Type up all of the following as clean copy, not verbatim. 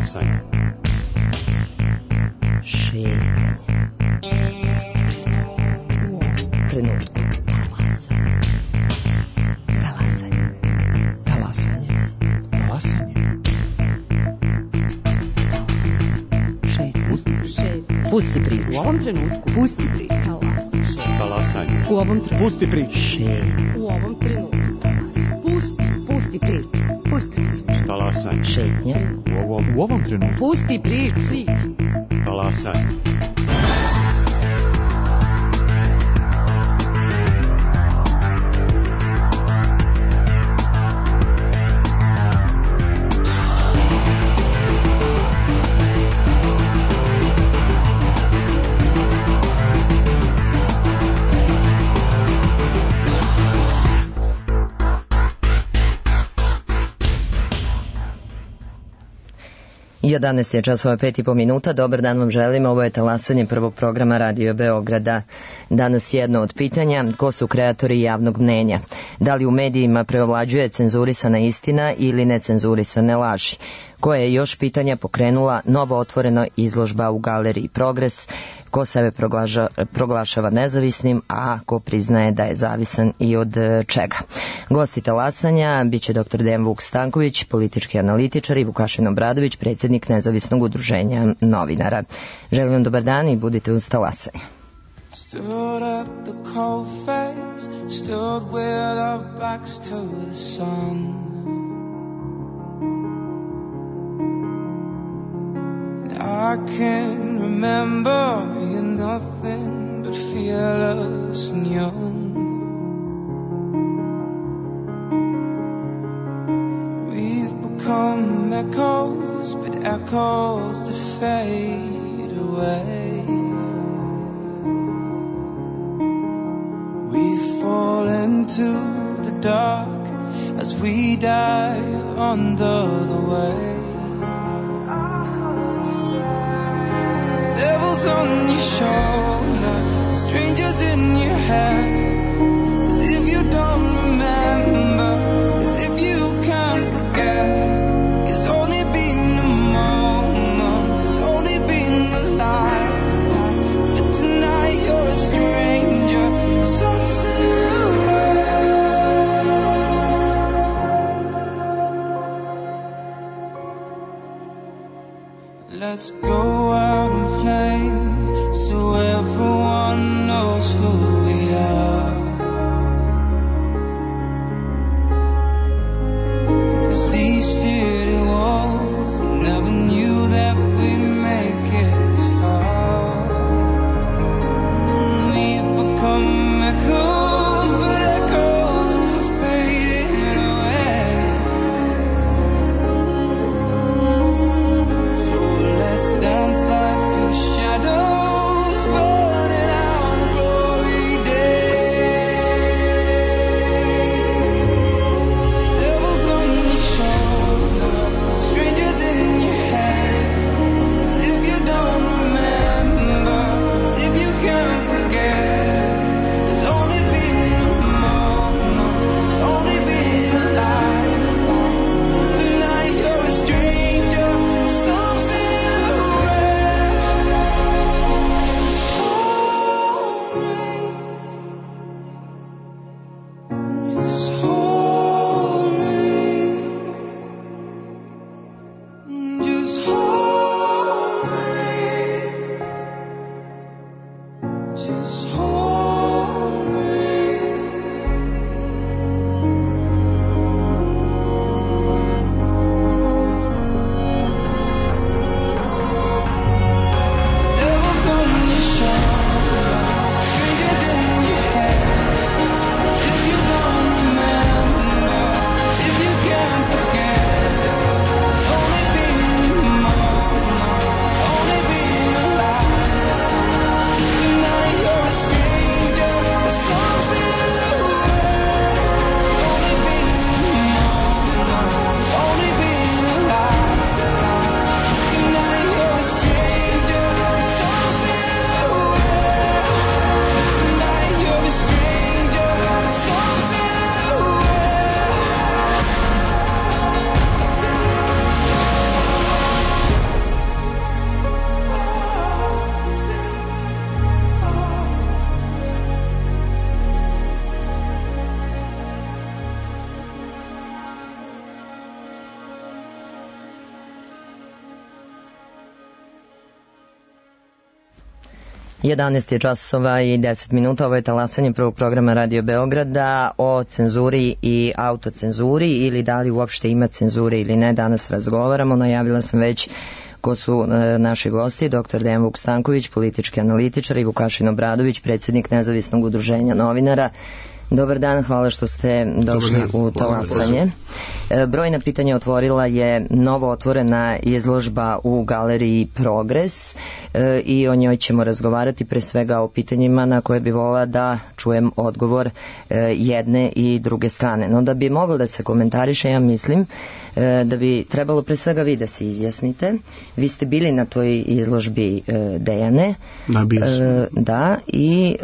Talasanje. Šetanje. Trenutku. Talasanje. Talasanje. Talasanje. Pusti priču. U ovom trenutku. Pusti priču. Talasanje. U ovom trenutku. Pusti priču. U ovom trenutku. Pusti priču. Pusti priču. Talasanje. Šetnja. U ovom trenutku. Pusti priču. Talasanje. I 11 je časova 5,5 minuta. Dobar dan vam želim. Ovo je talasanje prvog programa Radio Beograda. Danas jedno od pitanja: ko su kreatori javnog mnenja? Da li u medijima preovlađuje cenzurisana istina ili necenzurisane laži? Koje je još pitanja pokrenula novo otvorena izložba u Galeriji Progres? Ko sebe proglašava nezavisnim, a ko priznaje da je zavisan i od čega? Gosti talasanja biće dr. Dejan Vuk Stanković, politički analitičar, i Vukašin Obradović, predsjednik Nezavisnog udruženja novinara. Želim vam dobar dan i budite uz talasanje. Stood at the cold face, stood with our backs to the sun. I can't remember being nothing but fearless and young. We've become echoes, but echoes that fade away. We fall into the dark as we die under the way. Devils on your shoulder, strangers in your head, as if you don't remember, as if you can't forget. It's only been a moment, it's only been a lifetime, but tonight you're a stranger, some silhouette. Let's go out in flames so everyone knows who we are. 'Cause these city walls never knew that we'd make it this far. We've become echoes, but echoes are fading away. So let's dance 11 je časova i 10 minuta, ovo je talasanje prvog programa Radio Beograda o cenzuri i autocenzuri ili da li uopšte ima cenzure ili ne. Danas razgovaramo, najavila sam već ko su naši gosti, dr. Dejan Vuk Stanković, politički analitičar, i Vukašin Obradović, predsjednik Nezavisnog udruženja novinara. Dobar dan, hvala što ste došli u talasanje. Brojna pitanja otvorila je novo otvorena izložba u galeriji Progres i o njoj ćemo razgovarati, pre svega o pitanjima na koje bi volila da čujem odgovor jedne i druge strane. No da bi moglo da se komentariše, ja mislim da bi trebalo pre svega vi da se izjasnite. Vi ste bili na toj izložbi, Dejane. Da, bio sam. Da, i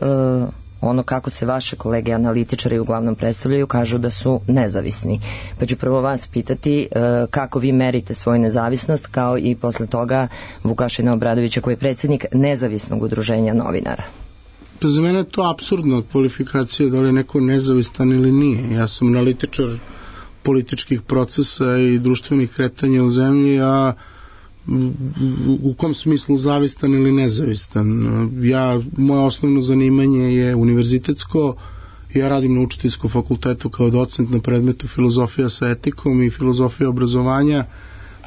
ono kako se vaše kolege analitičari uglavnom predstavljaju, kažu da su nezavisni. Pa ću prvo vas pitati kako vi merite svoju nezavisnost, kao i posle toga Vukašina Obradovića koji je predsjednik Nezavisnog udruženja novinara. Pa za mene je to apsurdna kvalifikacija da li je neko nezavistan ili nije. Ja sam analitičar političkih procesa i društvenih kretanja u zemlji, a u kom smislu zavistan ili nezavistan. Moje osnovno zanimanje je univerzitetsko, ja radim na učiteljskom fakultetu kao docent na predmetu filozofija sa etikom i filozofija obrazovanja.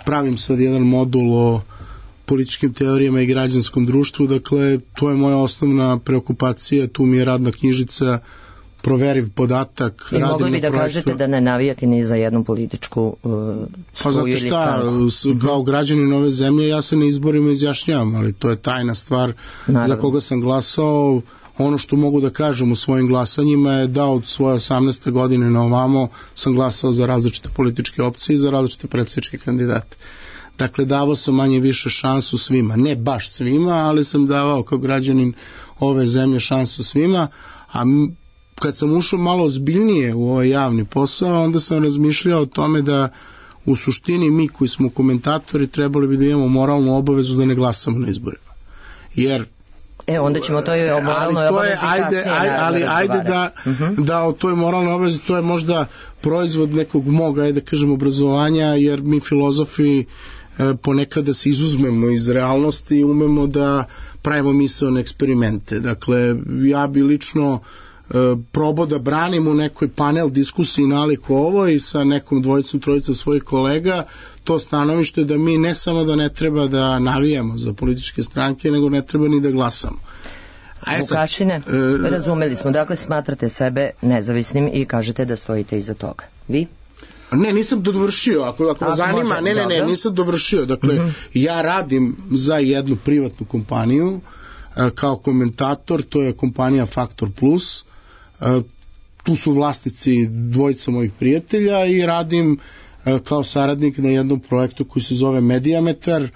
Pravim sad jedan modul o političkim teorijama i građanskom društvu, dakle to je moja osnovna preokupacija, tu mi je radna knjižica, proveriv podatak. I mogli bi da kažete da ne navijati ni za jednu političku struju ili stranku? Kao građanin ove zemlje ja se na izborima izjašnjavam, ali to je tajna stvar. Naravno. Za koga sam glasao. Ono što mogu da kažem u svojim glasanjima je da od svoje 18. godine na ovamo sam glasao za različite političke opcije i za različite predsjedničke kandidate. Dakle, davao sam manje više šansu svima, ne baš svima, ali sam davao kao građanin ove zemlje šansu svima, a kad sam ušao malo ozbiljnije u ovaj javni posao, onda sam razmišljao o tome da u suštini mi koji smo komentatori trebali bi da imamo moralnu obavezu da ne glasamo na izborima. Jer onda ćemo to i o moralnoj obavezi kasnije. Ali ajde da o toj moralnoj obavezi, to je možda proizvod nekog mog, ajde kažem, obrazovanja, jer mi filozofi ponekada se izuzmemo iz realnosti i umemo da pravimo misaone eksperimente. Dakle, ja bi lično probao da branim u nekoj panel diskusiji nalik ovoj sa nekom dvojicom, trojicom svojih kolega to stanovište da mi ne samo da ne treba da navijamo za političke stranke, nego ne treba ni da glasamo. Vukašine, razumeli smo, dakle smatrate sebe nezavisnim i kažete da stojite iza toga. Vi? Ne, nisam dovršio, ako zanima, nisam dovršio. Dakle, ja radim za jednu privatnu kompaniju kao komentator, to je kompanija Faktor Plus. Tu su vlasnici dvojica mojih prijatelja i radim kao saradnik na jednom projektu koji se zove Mediametar,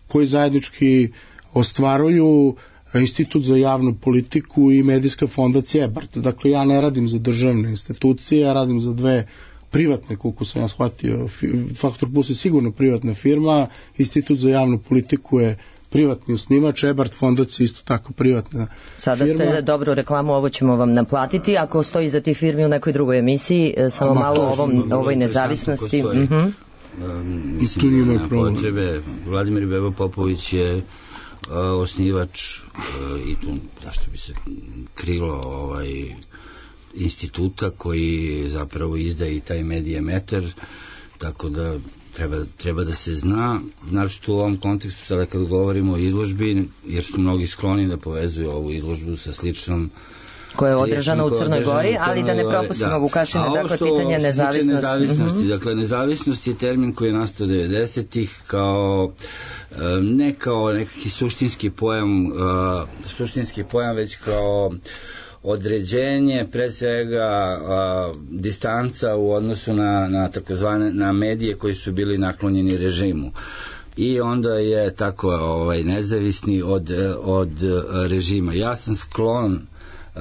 koji zajednički ostvaruju Institut za javnu politiku i medijska fondacija EBART. Dakle, ja ne radim za državne institucije, ja radim za dve privatne, koliko sam ja shvatio. Faktor Plus je sigurno privatna firma, Institut za javnu politiku je privatni osnivač, EBART fondacija isto tako privatna Sada firma. Ste dobru reklamu, ovo ćemo vam naplatiti, ako stoji za tih firmi u nekoj drugoj emisiji, samo malo o ovoj nezavisnosti. Mislim, nema potrebe. Vladimir Bebo Popović je osnivač i tu zašto bi se krilo instituta koji zapravo izdaje i taj Mediametar, tako da treba da se zna, naročito u ovom kontekstu sada kad govorimo o izložbi, jer su mnogi skloni da povezuju ovu izložbu sa sličnom koja je održana u Crnoj Gori, ali da ne propustimo Vukašine, dakle pitanje nezavisnosti. Dakle, nezavisnost je termin koji je nastao 90-ih kao ne kao nekakvi suštinski pojam, već kao određenje, pre svega distanca u odnosu na takozvane na medije koji su bili naklonjeni režimu. I onda je tako nezavisni od režima. Ja sam sklon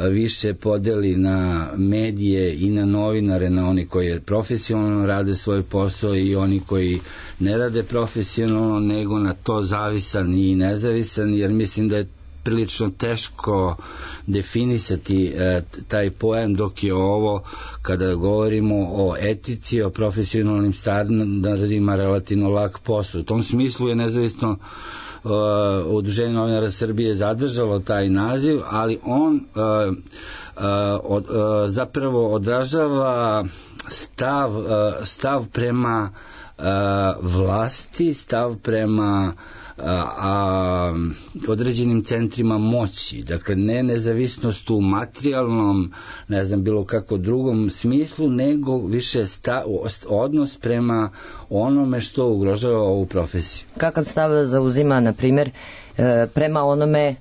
više podeli na medije i na novinare, na oni koji profesionalno rade svoj posao i oni koji ne rade profesionalno, nego na to zavisan i nezavisan, jer mislim da je prilično teško definisati taj pojam, dok je ovo, kada govorimo o etici, o profesionalnim standardima, relativno lak posao. U tom smislu je nezavisno Udruženje novinara Srbije zadržalo taj naziv, ali on zapravo odražava stav prema vlasti, stav prema određenim centrima moći, dakle ne nezavisnost u materijalnom, ne znam, bilo kako drugom smislu, nego više odnos prema onome što ugrožava ovu profesiju. Kakav stav zauzima, na primjer, prema onome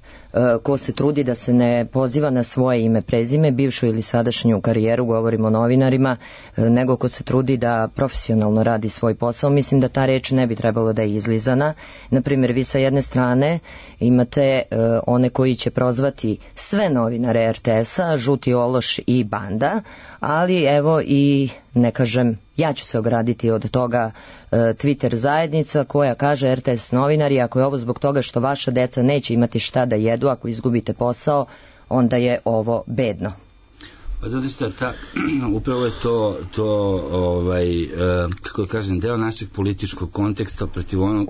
ko se trudi da se ne poziva na svoje ime, prezime, bivšu ili sadašnju karijeru, govorimo o novinarima, nego ko se trudi da profesionalno radi svoj posao? Mislim da ta reč ne bi trebalo da je izlizana. Na primjer, vi sa jedne strane imate one koji će prozvati sve novinare RTS-a, žuti ološ i banda, ali evo i, ne kažem, ja ću se ograditi od toga, Twitter zajednica koja kaže RTS novinari, ako je ovo zbog toga što vaša deca neće imati šta da jedu ako izgubite posao, onda je ovo bedno. Pa zato što upravo je to kako kažem, deo našeg političkog konteksta protiv onog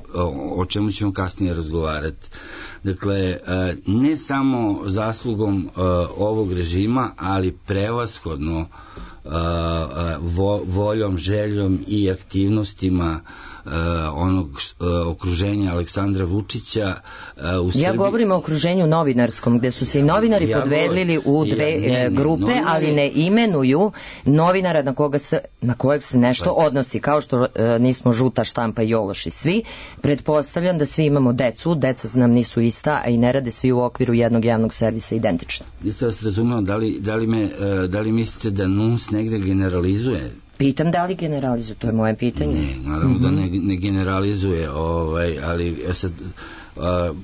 o čemu ćemo kasnije razgovarati. Dakle, ne samo zaslugom ovog režima, ali prevashodno voljom, željom i aktivnostima onog okruženja Aleksandra Vučića u Srbiji. Ja govorim o okruženju novinarskom, gde su se i novinari podvelili u dve grupe, ali ne imenuju novinara na kojeg se nešto odnosi, kao što nismo žuta štampa i ološi svi. Pretpostavljam da svi imamo decu, deca nam nisu ista, a i ne rade svi u okviru jednog javnog servisa identično. Niste vas razumeo, da li mislite da NUNS negde generalizuje? Pitam da li generalizuje, to je moje pitanje. Ne, naravno da ne generalizuje, ali sad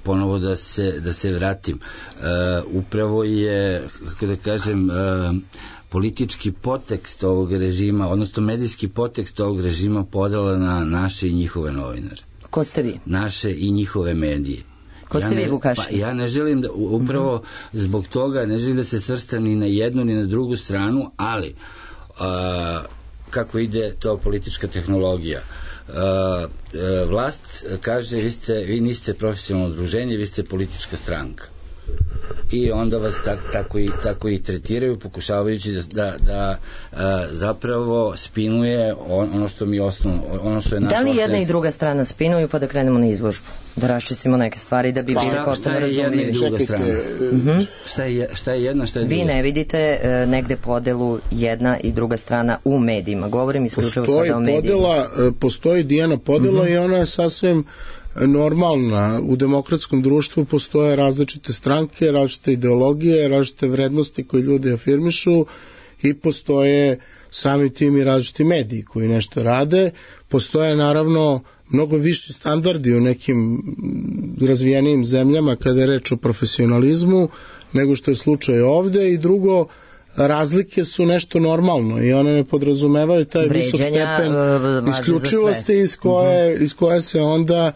ponovo da se vratim. Upravo je, kako da kažem, politički podtekst ovog režima, odnosno medijski podtekst ovog režima podela na naše i njihove novinare. Ko ste vi? Naše i njihove medije. Ko ste vi, Vukašin? Pa ja ne želim da, upravo zbog toga, ne želim da se svrstam ni na jednu ni na drugu stranu, ali kako ide to politička tehnologija. Vlast kaže vi niste profesionalno udruženje, vi ste politička stranka. I onda vas tako i tretiraju, pokušavajući da zapravo spinuje ono što mi osnovno, ono što je naša. Da li jedna i druga strana spinuju, pa da krenemo na izložbu? Da raščistimo neke stvari da bi bili potpuno razumljivi. Šta je jedna i druga strana? Šta je jedna, šta je druga? Vi ne vidite negde podelu jedna i druga strana u medijima. Govorim isključivo sada o medijima. Postoji Dijana podela i ona je sasvim normalna. U demokratskom društvu postoje različite stranke, različite ideologije, različite vrednosti koje ljudi afirmišu i postoje sami tim i različiti mediji koji nešto rade. Postoje naravno mnogo viši standardi u nekim razvijenijim zemljama kada je reč o profesionalizmu nego što je slučaj ovde, i drugo, razlike su nešto normalno i one ne podrazumevaju taj visok stepen isključivosti iz koje se onda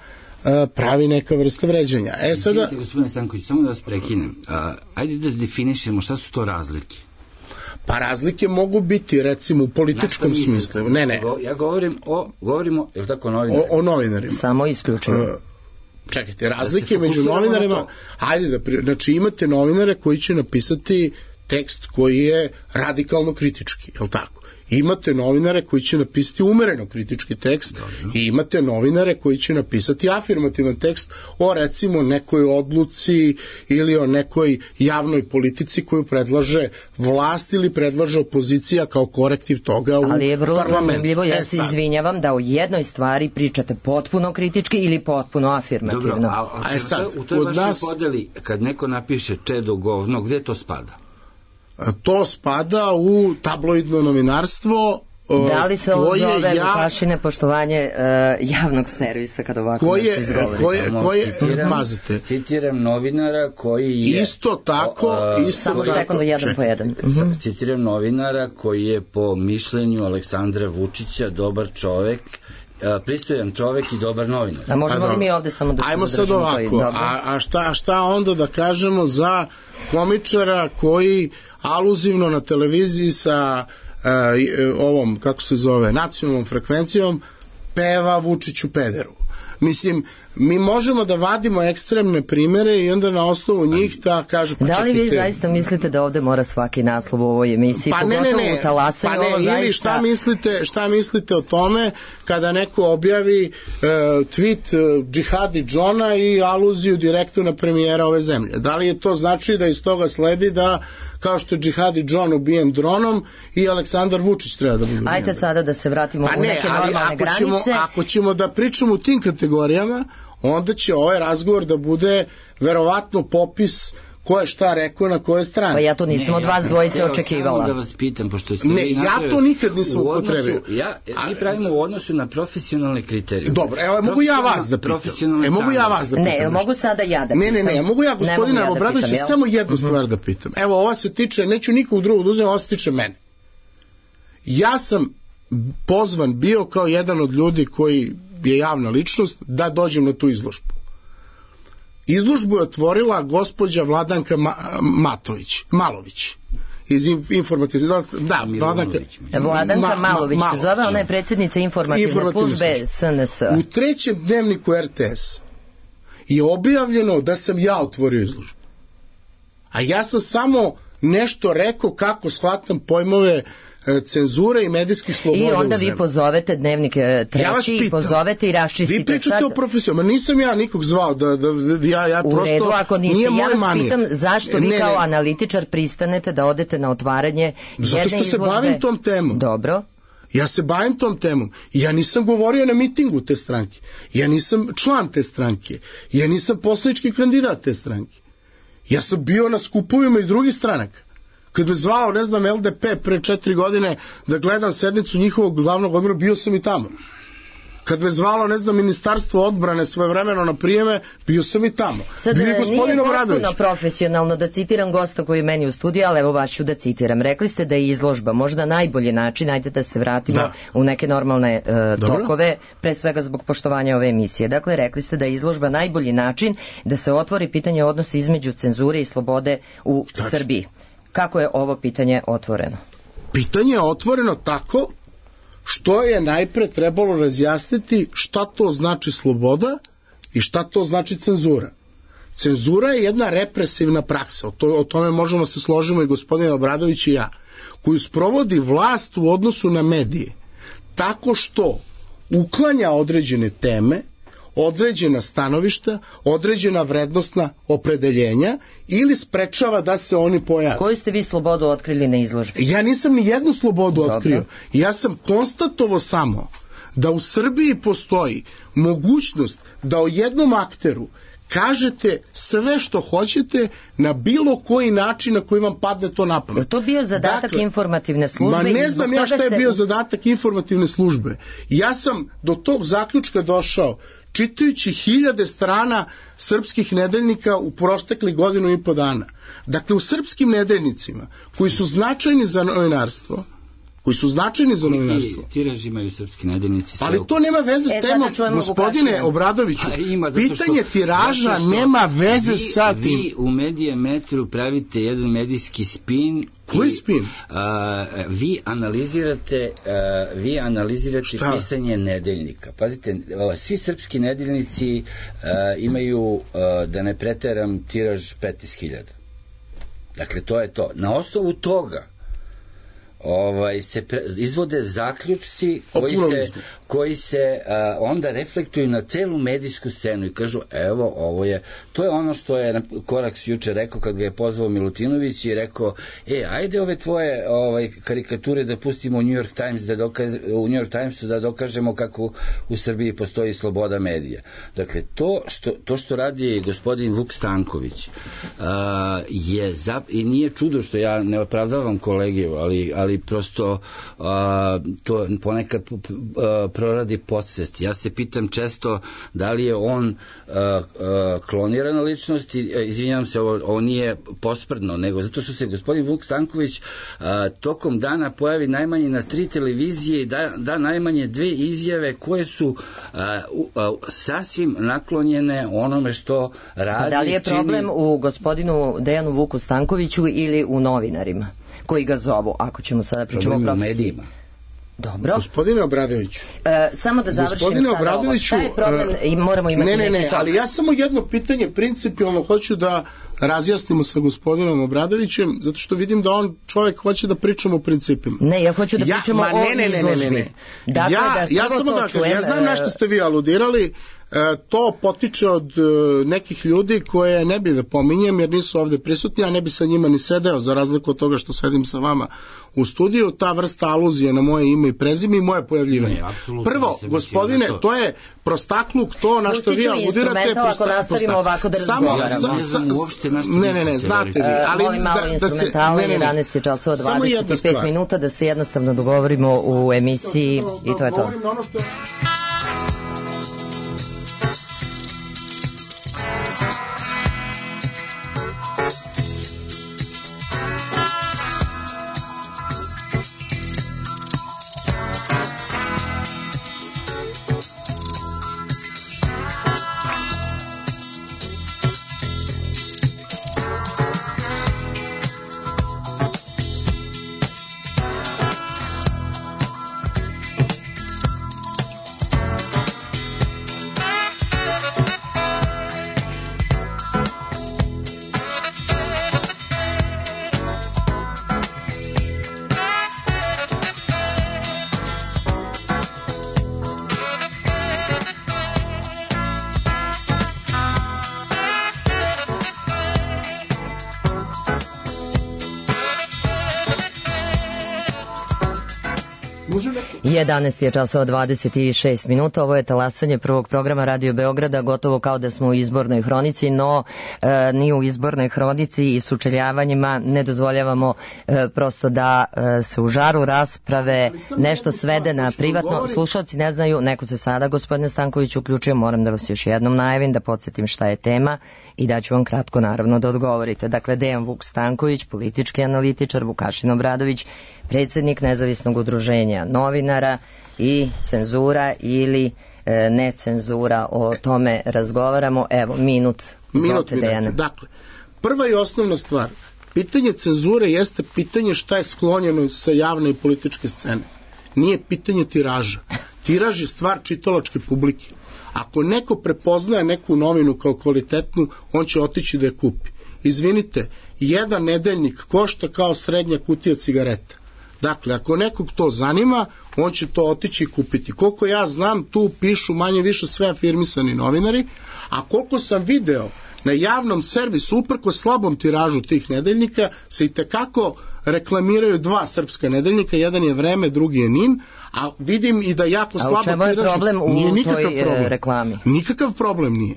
pravi neka vrsta vređanja. Sada... Gospodine Stanković, samo da vas prekinem. Ajde da definišemo šta su to razlike. Pa razlike mogu biti, recimo, u političkom smislu. Ne. Ja govorimo, je li tako, o novinarima. Samo isključivo. Čekajte, razlike među novinarima, znači imate novinare koji će napisati tekst koji je radikalno kritički, je li tako? Imate novinare koji će napisati umereno kritički tekst i imate novinare koji će napisati afirmativan tekst o, recimo, nekoj odluci ili o nekoj javnoj politici koju predlaže vlast ili predlaže opozicija kao korektiv toga u parlamentu. Ali je vrlo zanimljivo, ja se izvinjavam da o jednoj stvari pričate potpuno kritički ili potpuno afirmativno. Dobro, u toj vašoj podeli, kad neko napiše čedo govno, gde to spada? To spada u tabloidno novinarstvo. Da li se ovo zove, Vukašine, poštovanje javnog servisa kada ovako nešto izgovori? Pazite. Citiram novinara koji je... Isto tako... Samo sekundu, jedan po jedan. Citiram novinara koji je po mišljenju Aleksandra Vučića dobar čovek, pristojan čovek i dobar novinar. A možemo li mi ovde samo da se zadržimo? Ajmo sad ovako, a šta onda da kažemo za komičara koji aluzivno na televiziji sa ovom, kako se zove, nacionalnom frekvencijom peva Vučiću pederu? Mislim, mi možemo da vadimo ekstremne primere i onda na osnovu njih da kažu, pa da li čekajte. vi zaista mislite da ovde mora svaki naslov u ovoj emisiji, pogotovo u talasanju, ovo zaista... Ili šta mislite o tome kada neko objavi tweet Džihadi Džona i aluziju direktno na premijera ove zemlje? Da li je to znači da iz toga sledi da kao što je Džihadi Džon ubijen dronom i Aleksandar Vučić treba da bude ubijen? Ajde sada da se vratimo u neke normalne granice. Ako ćemo da pričamo u tim kategorijama, onda će ovaj razgovor da bude verovatno popis ko je šta rekao na koje strane. Pa ja to nisam od vas dvojice očekivala. Samo da vas pitam, pošto ste vi napravili... Ja to nikad nisam upotrebio. Mi pravimo u odnosu na profesionalne kriterije. Dobro, evo, mogu ja vas da pitam. Mogu ja vas da pitam. Ne, mogu sada ja da pitam. Ne, mogu ja, gospodina Obradovića, samo jednu stvar da pitam. Evo, ova se tiče, neću nikog drugog da uzem, ova se tiče mene. Ja sam pozvan bio kao jedan od ljudi koji je javna ličnost da dođem na tu izložbu. Izložbu je otvorila gospođa Vladanka Malović iz informativne... Da, Vladanka Malović se zove, ona je predsjednica informativne službe SNS. U trećem dnevniku RTS je objavljeno da sam ja otvorio izložbu. A ja sam samo nešto rekao kako shvatam pojmove cenzure i medijskih sloboda. I onda vi pozovete Dnevnik treći i pozovete i raščistite. Vi pričate o profesionalno, ma nisam ja nikog zvao da ja prosto... U redu, ako niste, ja vas pitam zašto vi kao analitičar pristanete da odete na otvaranje jedne izložbe. Zato što se bavim tom temom. Dobro. Ja se bavim tom temom. Ja nisam govorio na mitingu te stranke. Ja nisam član te stranke. Ja nisam poslanički kandidat te stranke. Ja sam bio na skupovima i drugih stranaka. Kad me zvao, ne znam, LDP pre 4 godine da gledam sednicu njihovog glavnog odbora, bio sam i tamo. Kad me zvalo, ne znam, Ministarstvo odbrane svojevremeno na prijeme, bio sam i tamo. Sad nije potpuno profesionalno da citiram gosta koji je meni u studiju, ali evo vas ću da citiram. Rekli ste da je izložba možda najbolji način, ajde da se vratimo u neke normalne tokove, pre svega zbog poštovanja ove emisije. Dakle, rekli ste da je izložba najbolji način da se otvori pitanje odnosa između cenzure i slobode u Srbiji. Kako je ovo pitanje otvoreno? Pitanje je otvoreno tako što je najpre trebalo razjasniti šta to znači sloboda i šta to znači cenzura. Cenzura je jedna represivna praksa, o tome možemo se složimo i gospodin Obradović i ja, koju sprovodi vlast u odnosu na medije, tako što uklanja određene teme, određena stanovišta, određena vrednostna opredeljenja ili sprečava da se oni pojave. Koju ste vi slobodu otkrili na izložbi? Ja nisam ni jednu slobodu otkrio. Ja sam konstatovao samo da u Srbiji postoji mogućnost da o jednom akteru kažete sve što hoćete na bilo koji način na koji vam padne to na pamet. Je to bio zadatak informativne službe? Ma ne znam ja šta je bio zadatak informativne službe. Ja sam do tog zaključka došao čitajući 1000 strana srpskih nedeljnika u proteklih 1.5 dana. Dakle, u srpskim nedeljnicima, koji su značajni za novinarstvo, Tiraž imaju srpski nedeljnici. Ali to nema veze s temom, gospodine Obradoviću. Pitanje tiraža nema veze sa tim. Vi u Medijametru pravite jedan medijski spin. Koji spin? Vi analizirate pisanje nedeljnika. Pazite, svi srpski nedeljnici imaju, da ne preteram, tiraž 15.000. Dakle, to je to. Na osnovu toga se izvode zaključci koji se onda reflektuju na celu medijsku scenu i kažu evo ovo je, to je ono što je Koraks juče rekao kad ga je pozvao Milutinović i rekao ajde ove tvoje karikature da pustimo u New York Timesu da dokažemo kako u Srbiji postoji sloboda medija. Dakle, to što radi gospodin Vuk Stanković i nije čudo što ja ne opravdavam kolegiju, ali prosto to ponekad proradi podsvest. Ja se pitam često da li je on klonirana ličnost, izvinjavam se, ovo nije posprdno, nego zato što se gospodin Vuk Stanković tokom dana pojavi najmanje na 3 televizije i da najmanje 2 izjave koje su sasvim naklonjene onome što radi. Da li je problem u gospodinu Dejanu Vuku Stankoviću ili u novinarima koji ga zovu, ako ćemo sada pričamo o profesiji? Dobro. Gospodine Obradoviću. Samo da završim sada ovo. Šta je problem i moramo imati Ne, ali ja samo jedno pitanje principijalno hoću da razjasnimo sa gospodinom Obradovićem, zato što vidim da on čovjek hoće da pričamo o principima. Ne, ja hoću da pričamo o izložbi. Dakle, ja samo da kažem, ja znam na što ste vi aludirali, to potiče od nekih ljudi koje ne bi da pominjem jer nisu ovde prisutni, a ne bi sa njima ni sedeo za razliku od toga što sedim sa vama u studiju, ta vrsta aluzije na moje ime i prezime i moje pojavljivanje. Prvo, gospodine, to je prostakluk, to na što vi aludirate. Ako nastavimo ovako da razgovaramo. Ne, znate vi. Ali molim malo instrumentala, 11 je časova 25 minuta, da se jednostavno dogovorimo u emisiji i to je to. Može neko? 11 je časova 26 minuta, ovo je talasanje prvog programa Radio Beograda, gotovo kao da smo u izbornoj hronici, no ni u izbornoj hronici i sučeljavanjima ne dozvoljavamo prosto da se u žaru rasprave nešto svede na privatno. Slušalci ne znaju, neko se sada, gospodine Stanković, uključio, moram da vas još jednom najavim, da podsjetim šta je tema i da ću vam kratko naravno da odgovorite. Dakle, Dejan Vuk Stanković, politički analitičar, Vukašin Obradović, predsjednik nezavisnog udruženja novinara, i cenzura ili necenzura, o tome razgovaramo. Evo, minut. Dakle, prva i osnovna stvar, pitanje cenzure jeste pitanje šta je sklonjeno sa javne i političke scene. Nije pitanje tiraža. Tiraž je stvar čitalačke publike. Ako neko prepoznaje neku novinu kao kvalitetnu, on će otići da je kupi. Izvinite, jedan nedeljnik košta kao srednja kutija cigareta. Dakle, ako nekog to zanima, on će to otići i kupiti. Koliko ja znam, tu pišu manje više sve afirmisani novinari, a koliko sam video na javnom servisu, uprko slabom tiražu tih nedeljnika, se i tekako reklamiraju dva srpska nedeljnika, jedan je Vreme, drugi je NIN, a vidim i da jako slabo tiražu. A u čemu je problem u toj reklami? Nikakav problem nije.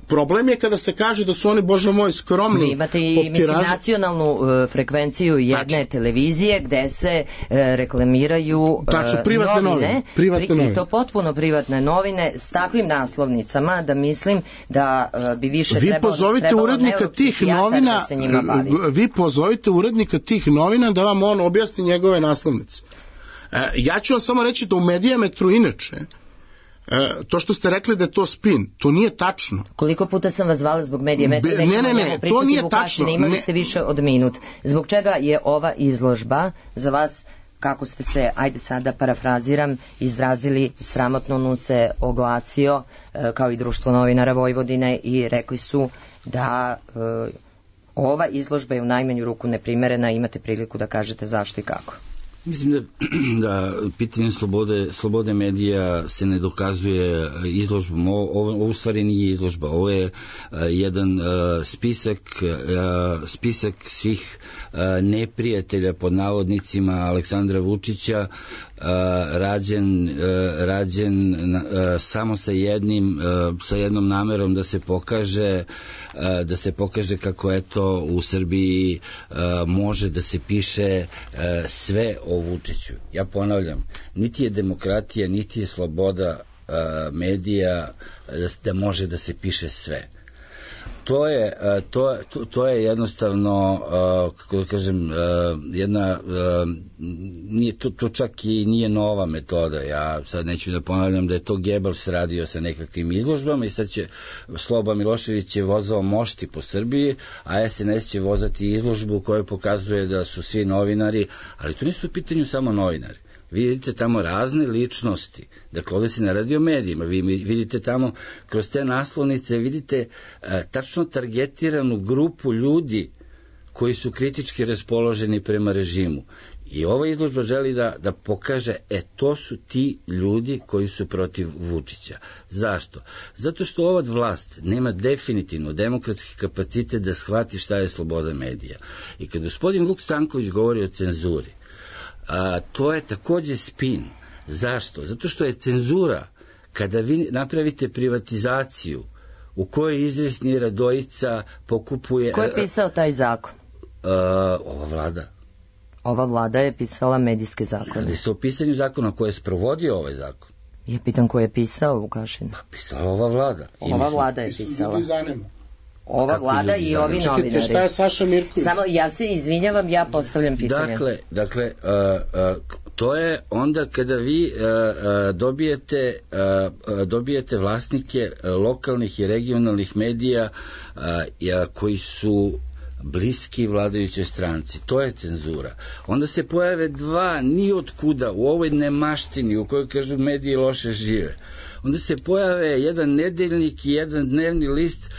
Problem je kada se kaže da su oni, Bože moj, skromni. Vi imate i nacionalnu frekvenciju jedne televizije gde se reklamiraju novine, i to potpuno privatne novine s takvim naslovnicama da mislim da bi više trebalo neuropsihijatara da se njima bavi. Vi pozovite urednika tih novina da vam on objasni njegove naslovnice. Ja ću vam samo reći da u Medijametru inače to što ste rekli da je to spin, to nije tačno. Koliko puta sam vas zvala zbog Medijametra? Ne, to nije tačno. Imali ste više od minut. Zbog čega je ova izložba za vas, kako ste se, ajde sada parafraziram, izrazili, sramotno nu se oglasio kao i Društvo novinara Vojvodine i rekli su da ova izložba je u najmanju ruku neprimerena, imate priliku da kažete zašto i kako. Mislim da pitanje slobode medija se ne dokazuje izložbom. Ovo u stvari nije izložba. Ovo je jedan spisak svih neprijatelja pod navodnicima Aleksandra Vučića, rađen samo sa jednom namerom da se pokaže kako eto u Srbiji može da se piše sve o Vučiću. Ja ponavljam, niti je demokratija, niti je sloboda medija da može da se piše sve. To je jednostavno, kako da kažem, jedna, to čak i nije nova metoda. Ja sad neću da ponavljam da je to Goebbels radio sa nekakvim izložbama i sad će Sloba Milošević je vozao mošti po Srbiji, a SNS će vozati izložbu koja pokazuje da su svi novinari, ali tu nisu u pitanju samo novinari. Vi vidite tamo razne ličnosti, dakle ovdje se ne radi o medijima, vi vidite tamo kroz te naslovnice, vidite tačno targetiranu grupu ljudi koji su kritički raspoloženi prema režimu. I ova izložba želi da pokaže, to su ti ljudi koji su protiv Vučića. Zašto? Zato što ova vlast nema definitivno demokratski kapacitet da shvati šta je sloboda medija. I kad gospodin Vuk Stanković govori o cenzuri, to je takođe spin. Zašto? Zato što je cenzura kada vi napravite privatizaciju u kojoj izvesni Radojica pokupuje... Ko je pisao taj zakon? Ova vlada. Ova vlada je pisala medijske zakone. Radi se o pisanju zakona koje je sprovodio ovaj zakon. Ja pitam ko je pisao Vukašin? Pa pisala ova vlada. Ova vlada je pisala. Ova vlada i ovi novinari. Čekajte, šta je Saša Mirković? Samo, ja se izvinjavam, ja postavljam pitanje. Dakle, to je onda kada vi dobijete vlasnike lokalnih i regionalnih medija koji su bliski vladajućoj stranci. To je cenzura. Onda se pojave dva nijotkuda u ovoj nemaštini u kojoj kažu mediji loše žive. Onda se pojave jedan nedeljnik i jedan dnevni list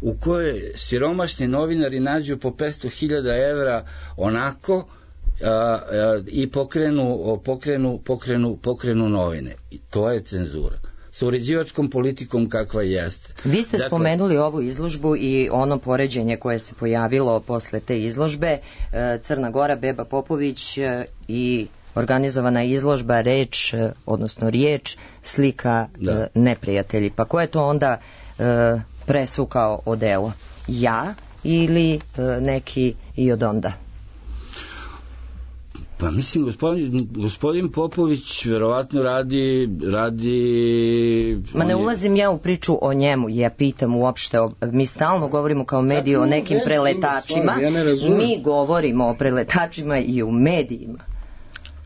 u kojoj siromašni novinari nađu po 500.000 evra onako i pokrenu novine. I to je cenzura. Sa uređivačkom politikom kakva jeste. Vi ste spomenuli ovu izložbu i ono poređenje koje se pojavilo posle te izložbe, Crna Gora, Beba Popović i organizovana izložba Reč, odnosno Riječ, slika neprijatelji. Pa ko je to onda presvukao odelo? Ja ili neki i od onda? Pa mislim, gospodin Popović verovatno radi... Ma ne ulazim ja u priču o njemu, ja pitam uopšte, mi stalno govorimo kao mediji o nekim preletačima, mi govorimo o preletačima i u medijima.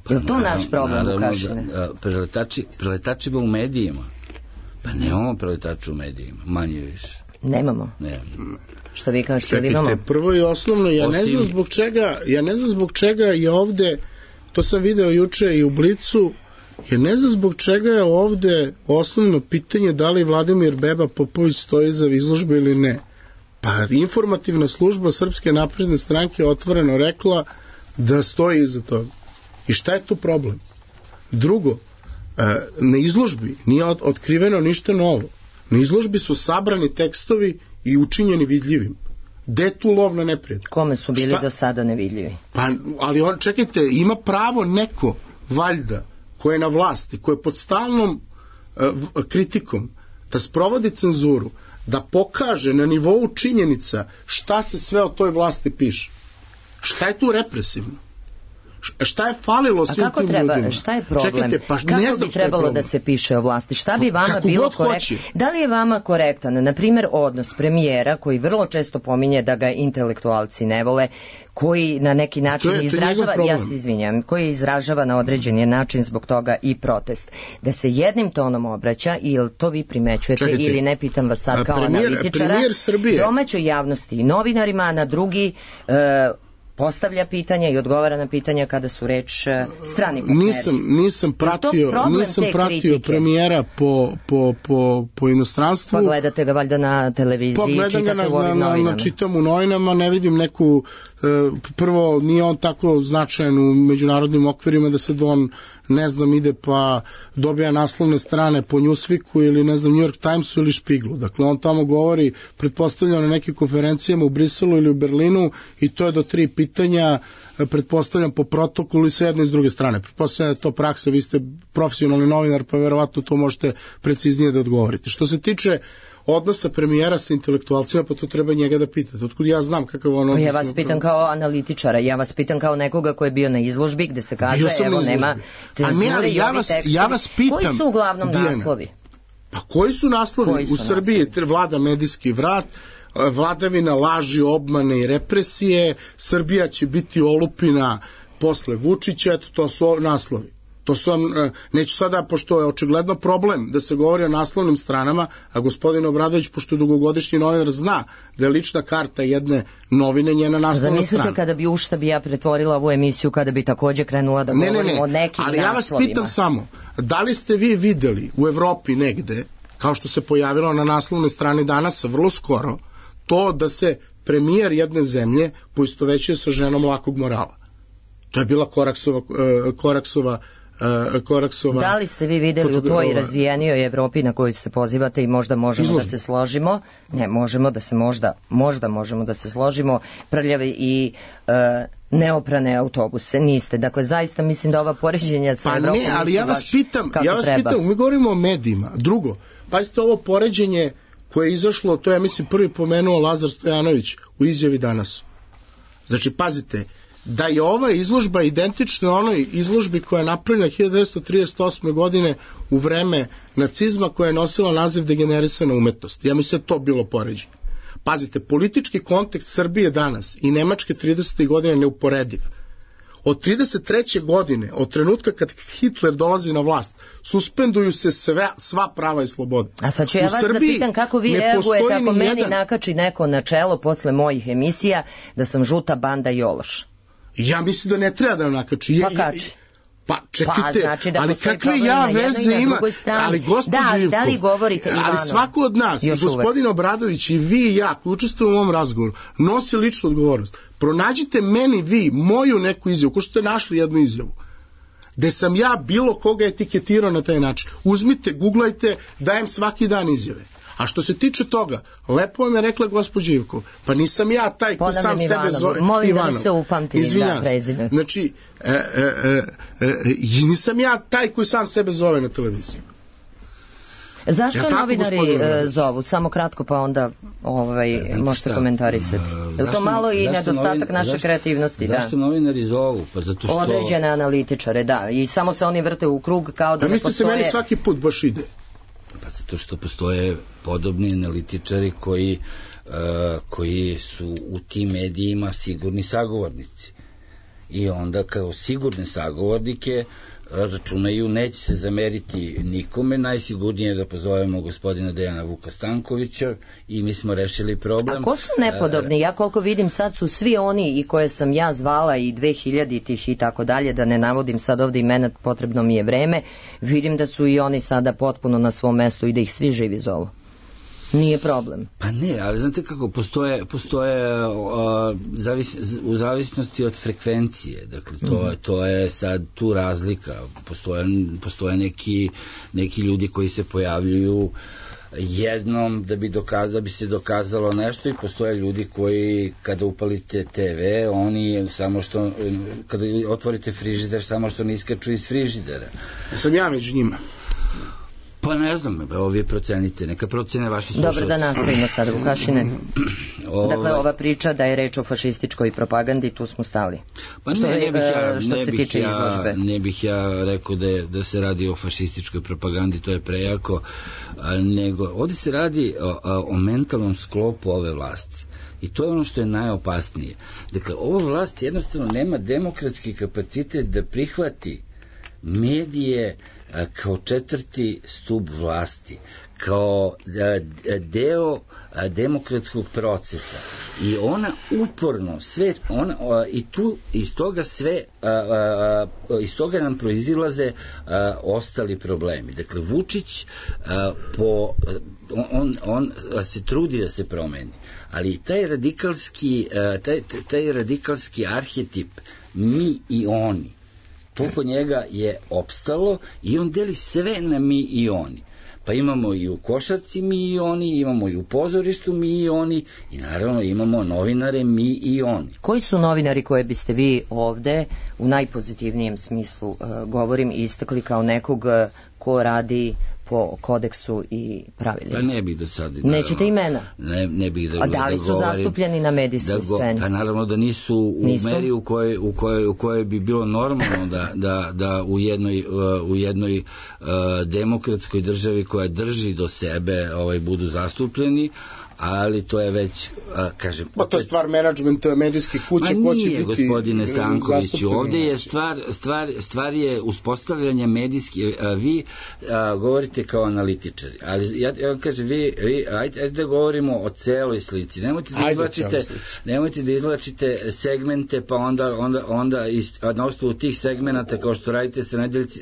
Je li to naš problem, Vukašine? Preletačima u medijima? Pa nemamo preletača u medijima, manje više. Nemamo? Što vi kažete, ili imamo? Čekajte, prvo i osnovno, ja ne znam zbog čega je ovde, to sam video juče i u Blicu, ja ne znam zbog čega je ovde osnovno pitanje da li Vladimir Beba Popović stoji iza izložbe ili ne. Pa informativna služba Srpske napredne stranke je otvoreno rekla da stoji iza toga. I šta je tu problem? Drugo, na izložbi nije otkriveno ništa novo. Na izložbi su sabrani tekstovi i učinjeni vidljivim. Gde tu lov na neprijatelja? Kome su bili do sada nevidljivi? Pa, ali čekajte, ima pravo neko, valjda, ko je na vlasti, ko je pod stalnom kritikom, da sprovodi cenzuru, da pokaže na nivou činjenica šta se sve o toj vlasti piše. Šta je tu represivno? Šta je falilo svim tim ljudima? Šta je problem? Čekajte, pa kako bi trebalo da se piše o vlasti? Šta bi vama bilo korektno? Da li je vama korektan, na primjer, odnos premijera, koji vrlo često pominje da ga intelektualci ne vole, koji na neki način izražava, ja se izvinjam, koji izražava na određeni način zbog toga i protest. Da se jednim tonom obraća, ili to vi primećujete, ili ne pitam vas sad kao analitičara, domaćoj javnosti i novinarima, a na drugi postavlja pitanja i odgovara na pitanja kada su reč strani partneri. Nisam pratio premijera po inostranstvu. Pa gledate ga valjda na televiziji, čitate u ovim novinama. Čitam u novinama, ne vidim neku, prvo nije on tako značajan u međunarodnim okvirima da se on, ne znam, ide pa dobija naslovne strane po Newsweeku ili ne znam New York Timesu ili Špiglu. Dakle, on tamo govori, pretpostavljam na nekim konferencijama u Briselu ili u Berlinu i to je do 3 pitanja, pretpostavljam po protokolu i sve jedne i s druge strane. Pretpostavljam da je to praksa, vi ste profesionalni novinar pa verovatno to možete preciznije da odgovorite. Što se tiče odnosa premijera sa intelektualcima, pa to treba njega da pitate. Otkud ja znam kakav on odnos. Ja vas pitam kao analitičara, ja vas pitam kao nekoga ko je bio na izložbi gde se kaže, evo nema cenzure i ovi tekstovi. Ja vas pitam, koji su uglavnom naslovi? Pa koji su naslovi? U Srbiji vlada medijski vrat, vladavina laži, obmane i represije, Srbija će biti olupina posle Vučića, eto to su naslovi. To su neću sada, pošto je očigledno problem da se govori o naslovnim stranama, a gospodin Obradović, pošto je dugogodišnji novinar, zna da je lična karta jedne novine njena naslovna strana. Zamislite kada bi ja pretvorila ovu emisiju, kada bi takođe krenula da govorimo o nekim naslovima. Ali ja vas pitam samo, da li ste vi videli u Evropi negde, kao što se pojavilo na naslovnoj strani danas, vrlo skoro, to da se premijer jedne zemlje poistovećuje sa ženom lakog morala? To je bila Koraksova. Da li ste vi videli u toj razvijenijoj Evropi na koju se pozivate i možda možemo da se složimo? Ne, možemo da se složimo, prljavi i neoprane autobuse, niste. Dakle, zaista mislim da ova poređenja sa Evropom nisu baš kako treba. Ali ja vas pitam, mi govorimo o medijima. Drugo, pazite ovo poređenje koje je izašlo, to je, mislim, prvi pomenuo Lazar Stojanović u izjavi danas. Znači, pazite, da je ova izložba identična onoj izložbi koja je napravljena 1938. godine u vreme nacizma, koja je nosila naziv degenerisana umetnost. Ja mislim da to bilo poređenje. Pazite, politički kontekst Srbije danas i Nemačke 30. godine neuporediv. Od 33. godine, od trenutka kad Hitler dolazi na vlast, suspenduju se sva prava i slobode. A sad ću ja vas da pitam kako vi reagujete ako meni nakači neko na čelo posle mojih emisija da sam žuta banda i ološ. Ja mislim da ne treba da nakači. Pa kači. Pa čekajte, znači ali kakve ja veze ima, ali gospođo Ivko, ali svako od nas, i gospodin Obradović i vi i ja koji učestvujemo u ovom razgovoru, nosi ličnu odgovornost. Pronađite meni vi moju neku izjavu, ko što ste našli jednu izjavu, gde sam ja bilo koga etiketirao na taj način. Uzmite, googlajte, dajem svaki dan izjave. A što se tiče toga, lepo vam je rekla gospođa Ivko, pa nisam ja taj ko sam sebe zove Molim da mi se upamtim da prezime. Znači, nisam ja taj koji sam sebe zove na televiziji. Zašto novinari zovu? Samo kratko pa onda možete komentarisati. Je to malo i nedostatak naše kreativnosti? Zašto novinari zovu? Pa zato što... Određene analitičare, da. I samo se oni vrte u krug kao da ne postoje... Mislite se meni svaki put baš ide? Pa zato što postoje podobni analitičari koji su u tim medijima sigurni sagovornici. I onda kao sigurne sagovornike računaju, neće se zameriti nikome, najsigurnije je da pozovemo gospodina Dejana Vuka Stankovića i mi smo rešili problem. A ko su nepodobni? Ja koliko vidim sad su svi oni i koje sam ja zvala i 2000-ih i tako dalje, da ne navodim sad ovde imena, potrebno mi je vreme, vidim da su i oni sada potpuno na svom mestu i da ih svi živi zovu. Nije problem. Pa ne, ali znate kako, postoje u zavisnosti od frekvencije, dakle to je sad tu razlika, postoje neki ljudi koji se pojavljuju jednom da bi se dokazalo nešto i postoje ljudi koji kada upalite TV, oni samo što, kada otvorite frižider, samo što ne iskaču iz frižidera. Sam ja među njima. Pa ne znam, evo vi procenite, neka procene vaši slušalci. Dobro, da nastavimo sad, Vukašine. Dakle, ova priča da je reč o fašističkoj propagandi, tu smo stali. Pa ne bih ja rekao da se radi o fašističkoj propagandi, to je prejako, nego ovdje se radi o mentalnom sklopu ove vlasti. I to je ono što je najopasnije. Dakle, ova vlast jednostavno nema demokratski kapacitet da prihvati medije kao četvrti stub vlasti, kao deo demokratskog procesa. I ona uporno sve, i tu iz toga sve, iz toga nam proizilaze ostali problemi. Dakle, Vučić on se trudi da se promeni, ali taj radikalski arhetip mi i oni, to kod njega je opstalo i on deli sve na mi i oni. Pa imamo i u košarci mi i oni, imamo i u pozorištu mi i oni i naravno imamo novinare mi i oni. Koji su novinari koje biste vi ovde u najpozitivnijem smislu govorim istakli kao nekog ko radi po kodeksu i pravilima? Pa ne bih do sada. Nećete imena? Ne bih da. A da li su zastupljeni na medijskoj sceni? Pa naravno da nisu u meri u kojoj bi bilo normalno da u jednoj demokratskoj državi koja drži do sebe budu zastupljeni, ali to je već, kažem... Pa to je stvar menadžmenta medijskih kuća, ko će biti gospodine Stankoviću, ovde je stvar je uspostavljanje medijskih, vi govorite kao analitičari, ali ja vam kažem, ajde da govorimo o celoj slici, nemojte da izvlačite segmente, pa onda na osnovu tih segmenata, kao što radite sa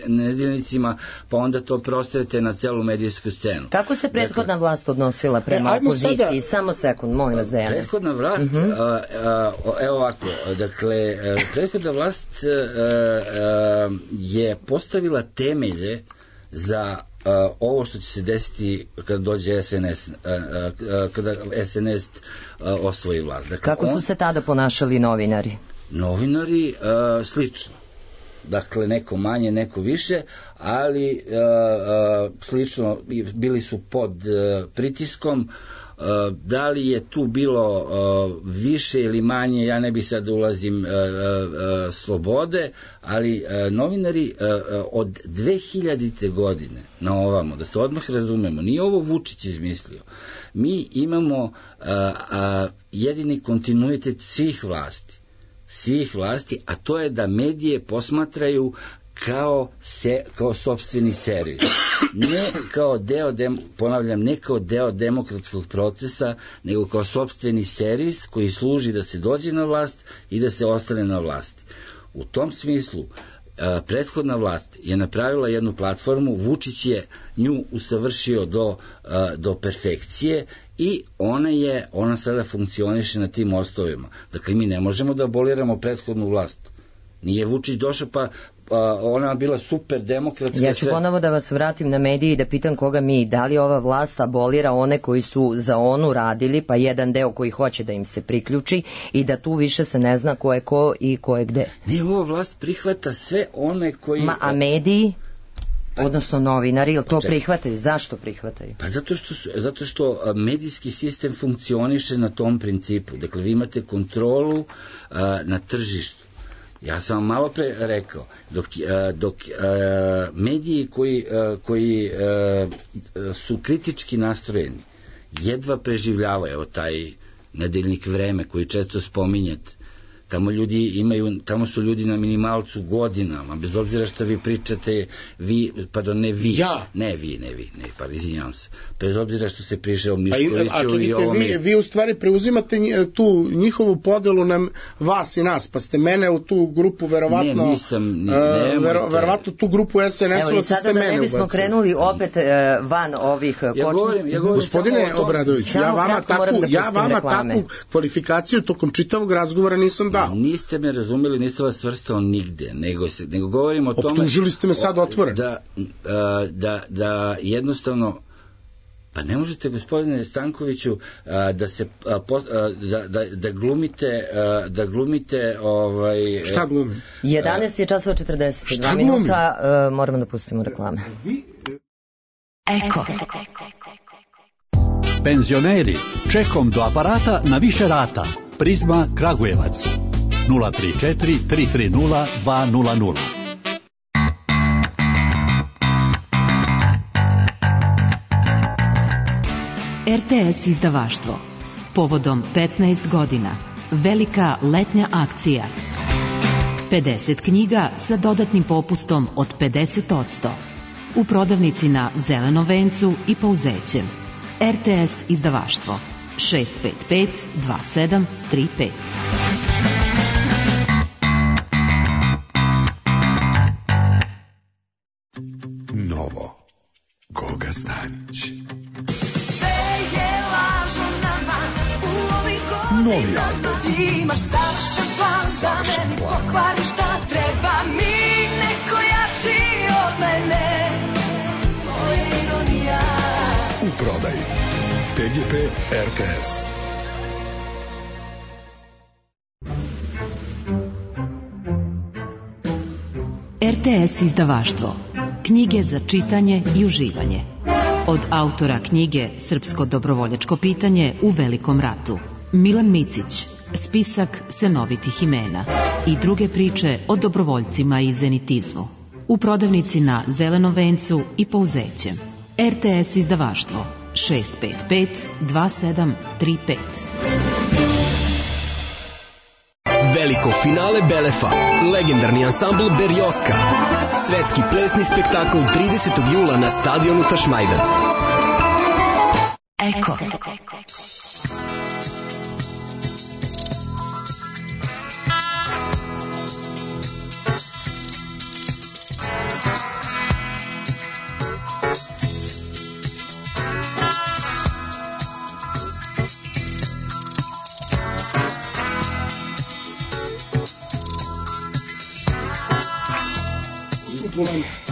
nedeljnicima, pa onda to prostajete na celu medijsku scenu. Kako se prethodna vlast odnosila prema opoziciji? Samo sekund, molim vas, Dejane. Prethodna vlast, evo ovako, dakle, prethodna vlast je postavila temelje za ovo što će se desiti kada dođe SNS, kada SNS osvoji vlast. Dakle, kako su se tada ponašali novinari? Novinari slično. Dakle, neko manje, neko više, ali slično, bili su pod pritiskom. Da li je tu bilo više ili manje, ja ne bih sad ulazim slobode, ali novinari od 2000. godine na ovamo, da se odmah razumemo, nije ovo Vučić izmislio. Mi imamo jedini kontinuitet svih vlasti, a to je da medije posmatraju kao sopstveni servis. Ne kao ne kao deo demokratskog procesa, nego kao sopstveni servis koji služi da se dođe na vlast i da se ostane na vlasti. U tom smislu, prethodna vlast je napravila jednu platformu, Vučić je nju usavršio do perfekcije i ona sada funkcioniše na tim osnovima. Dakle, mi ne možemo da aboliramo prethodnu vlast. Nije Vučić došao pa ona bila super demokratska. Ja ću ponovo da vas vratim na medije i da pitam koga da li ova vlast abolira one koji su za onu radili, pa jedan deo koji hoće da im se priključi i da tu više se ne zna ko je ko i ko je gde. Ne, ova vlast prihvata sve one koji... A mediji? Odnosno novinari, ili to prihvataju? Zašto prihvataju? Pa zato što medijski sistem funkcioniše na tom principu. Dakle, vi imate kontrolu na tržištu. Ja sam vam malo pre rekao, dok mediji koji su kritički nastrojeni jedva preživljavaju, evo taj nedeljnik Vreme koji često spominjete, tamo su ljudi na minimalcu godinama, bez obzira što vi pričate, izvinjavam se, bez obzira što se priše o Miškoviću i ovom... Vi u stvari preuzimate tu njihovu podelu na vas i nas, pa ste mene u tu grupu verovatno tu grupu SNS-ova ste sada mene da ne bismo krenuli opet van ovih kočnih... Gospodine Obradović, ja vama takvu kvalifikaciju tokom čitavog razgovora nisam dao. Niste me razumeli, nisam vas svrstao nigde, nego govorim o tome... Optužili ste me sad otvoreno. Da jednostavno... Pa ne možete, gospodine Stankoviću, da glumite... Šta glumim? 11 je časova 42 minuta, moramo da pustimo reklame. Eko. Penzioneri, čekom do aparata na više rata. Prizma Kragujevac 034 330 200. RTS izdavaštvo. Povodom 15 godina. Velika letnja akcija. 50 knjiga sa dodatnim popustom od 50%. U prodavnici na Zelenom vencu i Pauzećem. RTS izdavaštvo. 655 2735. Novo. Goga Stanić. Novi album. Imaš savršen plan da meni pokvariš šta treba mi neko jači od mene. Tvoja ironija. U prodaji PGP RTS. RTS izdavaštvo. Knjige za čitanje i uživanje. Od autora knjige Srpsko dobrovoljačko pitanje u Velikom ratu. Milan Micić, spisak senovitih imena i druge priče o dobrovoljcima i zenitizmu. U prodavnici na Zelenom vencu i Pouzećem. RTS izdavaštvo 655 2735. Veliko finale Belefa, legendarni ansambl Berjoska. Svetski plesni spektakl 30. jula na stadionu Tašmajdan. Eko.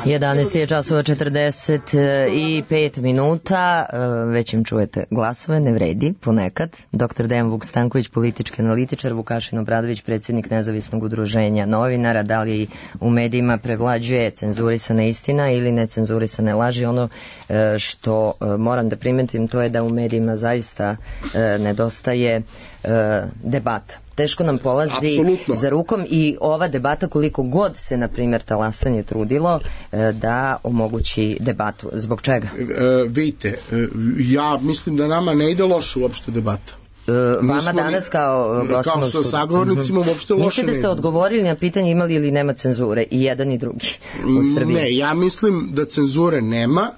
11 je časova 45 minuta, već im čujete glasove, ne vredi, ponekad. Dr. Dejan Vuk Stanković, politički analitičar, Vukašin Obradović, predsjednik Nezavisnog udruženja novinara. Da li u medijima prevlađuje cenzurisana istina ili necenzurisane laži? Ono što moram da primetim, to je da u medijima zaista nedostaje debata. Teško nam polazi Absolutno. Za rukom i ova debata, koliko god se, na primjer, Talasanje trudilo da omogući debatu. Zbog čega? Vidite, ja mislim da nama ne ide loše uopšte debata. Vama danas kao sa sagovornicima uopšte loše. Mislite da ste odgovorili na pitanje imali ili nema cenzure, i jedan i drugi u Srbiji? Ne, ja mislim da cenzure nema,